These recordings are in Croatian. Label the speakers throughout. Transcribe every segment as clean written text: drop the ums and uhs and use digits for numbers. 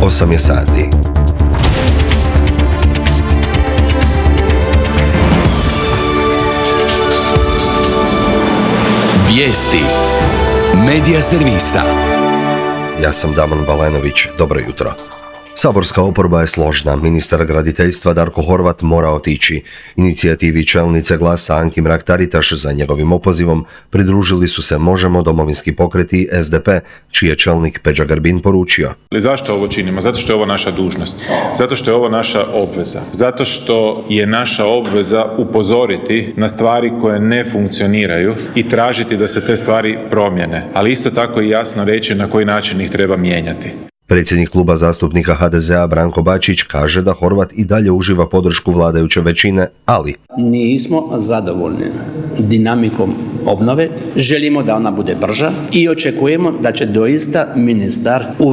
Speaker 1: 8 je sati.
Speaker 2: Vijesti Medija servisa.
Speaker 1: Ja sam Damon Balenović, dobro jutro. Saborska oporba je složna. Ministar graditeljstva Darko Horvat mora otići. Inicijativi čelnice Glasa Anki Mrak-Taritaš za njegovim opozivom pridružili su se Možemo, Domovinski pokret i SDP, čiji je čelnik Peđa Grbin poručio.
Speaker 3: Zašto ovo činimo? Zato što je ovo naša dužnost. Zato što je ovo naša obveza. Zato što je naša obveza upozoriti na stvari koje ne funkcioniraju i tražiti da se te stvari promijene. Ali isto tako i jasno reći na koji način ih treba mijenjati.
Speaker 1: Predsjednik kluba zastupnika HDZ-a Branko Bačić kaže da Horvat i dalje uživa podršku vladajuće većine, ali
Speaker 4: nismo zadovoljni dinamikom obnove, želimo da ona bude brža i očekujemo da će doista ministar u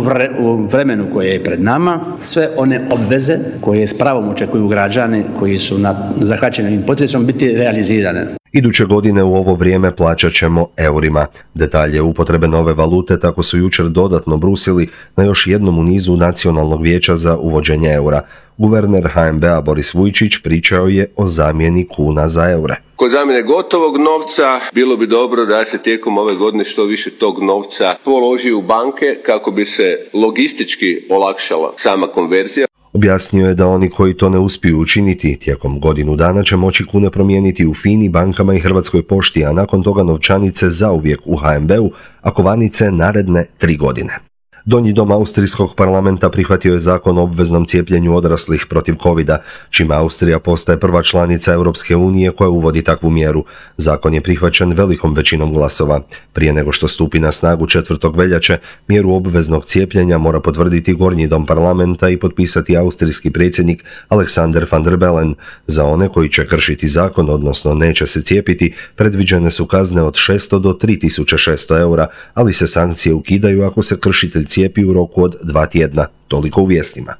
Speaker 4: vremenu koje je pred nama sve one obveze koje s pravom očekuju građani koji su zahvaćeni ovim potresom biti realizirane.
Speaker 1: Iduće godine u ovo vrijeme plaćat ćemo eurima. Detalje upotrebe nove valute tako su jučer dodatno brusili na još jednom u nizu Nacionalnog vijeća za uvođenje eura. Guverner HNB-a Boris Vujčić pričao je o zamjeni kuna za eure.
Speaker 5: Kod zamjene gotovog novca bilo bi dobro da se tijekom ove godine što više tog novca položi u banke kako bi se logistički olakšala sama konverzija.
Speaker 1: Objasnio je da oni koji to ne uspiju učiniti tijekom godinu dana će moći kune promijeniti u FINI, bankama i Hrvatskoj pošti, a nakon toga novčanice zauvijek u HNB-u, a kovanice naredne 3 godine. Donji dom Austrijskog parlamenta prihvatio je zakon o obveznom cijepljenju odraslih protiv covida, čime Austrija postaje prva članica Europske unije koja uvodi takvu mjeru. Zakon je prihvaćen velikom većinom glasova. Prije nego što stupi na snagu 4. veljače, mjeru obveznog cijepljenja mora potvrditi Gornji dom parlamenta i potpisati austrijski predsjednik Alexander van der Bellen. Za one koji će kršiti zakon, odnosno neće se cijepiti, predviđene su kazne od 600 do 3600 eura, ali se sankcije ukidaju ako se kršitelj cijepi u roku od 2 tjedna. Toliko u vijestima.